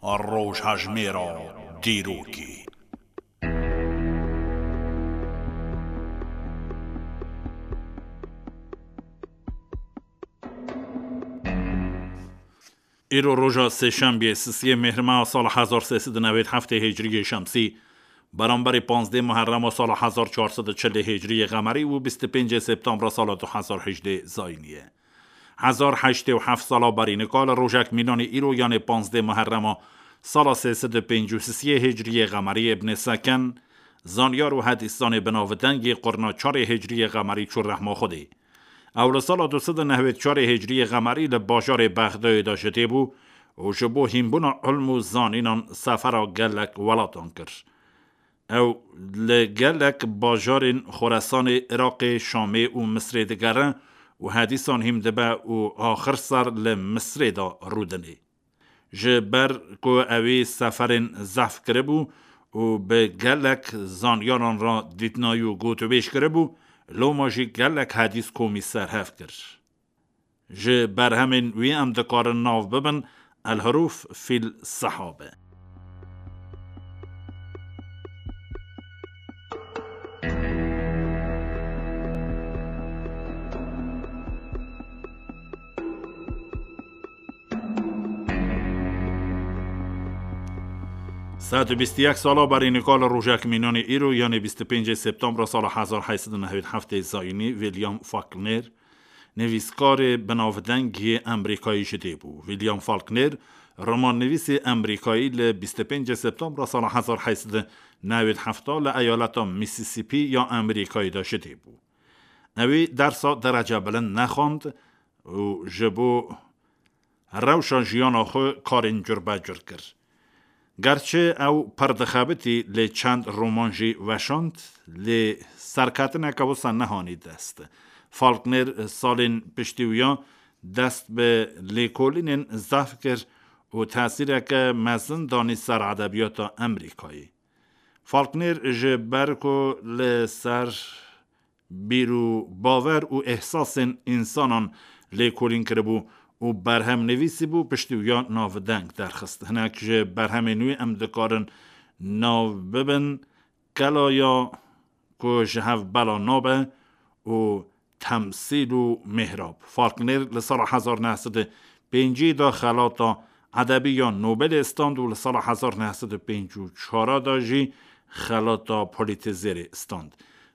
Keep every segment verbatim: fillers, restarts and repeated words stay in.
Rojhejmêra dîrokê. Îro roja sêşembiyê, sisiyê Mêhrmeha sala hezar sê sed û newêd heftê Hicriyê Şemsî, beramberî panzdeh Muherrema sala hezar çar sed û çilê Hicriyê Qemerî û bîst û pêncê Septembra sala du hezar hejdê Zayînî ye. Hezar heştê û heft sala berî nika li rojek mînanê îro, yanê panzdeh Muherrema sala sê sed û pêncî û sisiyê Hicriyê Qemerî, Ibn Seken, zanyar û hedîsdanê binavdengê qurna çarê Hicriyê Qemerî çû rehma Xwedê. Ew li sala du sed û newêd çarê Hicriyê Qemerî li bajarê Bexdayê de ji dê bû û ji bo hînbûna ilm û zanînan sefera gelek welatan kir. Ew li gelek bajarên Xoresanê, Iraqê, Şamê û Misrê digere û hedîsan hîn dibe û axir ser li Misrê de rûdinê. Ji ber ku ewî seferên zehf kiribû û bi gelek zanyaran re dîtinayî û gotûbêj kiribû, loma jî gelek hedîs komî serhev kir. Ji berhemên wî em dikarin nav bibin El-Hurûf fil Sehabe. Sed û bîst û yek sala berî nika li rojek mînanê îro, yanê bîst û pêncê Septembra sala hezar heyt sed û newêd heftê Zayînî, William Faulkner, nivîskarê binavdeng yê Emerîkayî ji dê bû. William Faulkner, romannivîsê Emerîkayî, li bîst û pêncê Septembra sala hezar heyt sed û newêd hefta li eyaleta Mississippi ya Emerîkayê de ji dê bû. Ewî dersa derece bilind nexwend û ji bo rewşa jiyana xwe karên curbecur kir. Gerçi ew pir dixebitî, lê çend roman jî weşand, lê serketineke wisa nehanî dest. Faulkner salên piştî wiya dest bi lêkolînên zehf kir û tesîreke mezin danî ser edebiyata Emerîkayê. Faulkner ji ber ku li ser bîr û bawer û îhsasên însanan lêkolîn kiribû û berhem nivîsîbû, piştî wiya navdeng derxist. Hinek ji berhemên wî em dikarin nav bibin: Kelaya ku ji hev bela nabe û Temsîl û Mihrab. Faulkner li sala hezar neh sed û pêncî de xelata edebî ya Nobelê stand û li sala hezar neh sed û pêncî û çar de jî xelata Pulitzerê stand.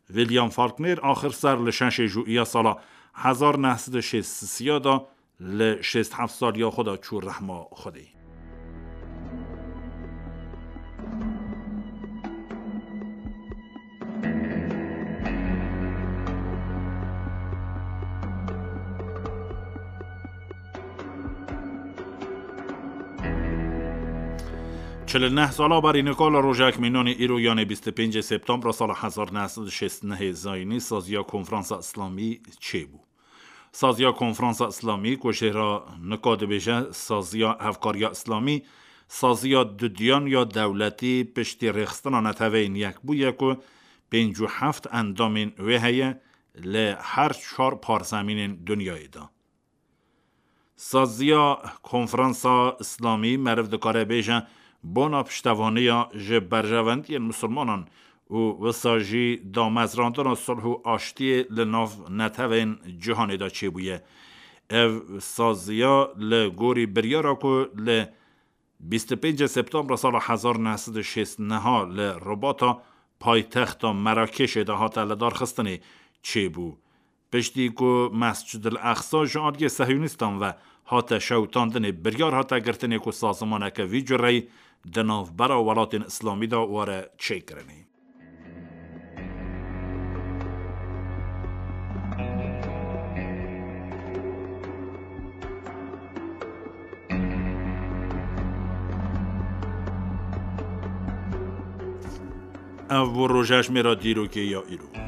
William Faulkner axir ser li şeşê Jûiya sala hezar neh sed û şêst û sê de li şêst heft saliya xwe de çû rehma Xwedê. Çil û neh sala berî nika li rojek mînanê îro, yanê bîst û pêncê Septembra sala hezar neh sed û şêst û nehê Zayînî, saziya Konferansa Îslamî çêbû. Saziya Konferansa Îslamî, ku jê re nika dibêje Saziya Hevkariya Îslamî, saziya dudiyan ya dewletî piştî rêxistina Neteweyên Yekbûyî ye ku pêncî û heft endamên wê heye li her çar parzemînên dinyayê de. Saziya Konferansa Îslamî, meriv dikare bêje, bona piştevaniya ji berjewendiyên misilmanan û wisa jî damezrandina sulh û aştiyê li nav netewên cîhanê de çêbûye. Ev saziya li gorî biryara ku li bîst û pêncê Septembra sala hezar neh sed û şêst û neh li Ribata paytexta Merakêşê de hate lidarxistinê çêbû. Piştî ku Mescid el Aqsa ji aliyê Sehyûnistan ve hate şewitandinê, biryar hate girtinê ku sazimaneke vî cureyî di navbera welatên Îslamî de were çêkirinê. Ev bû rojhejmêra dîrokê ya îro.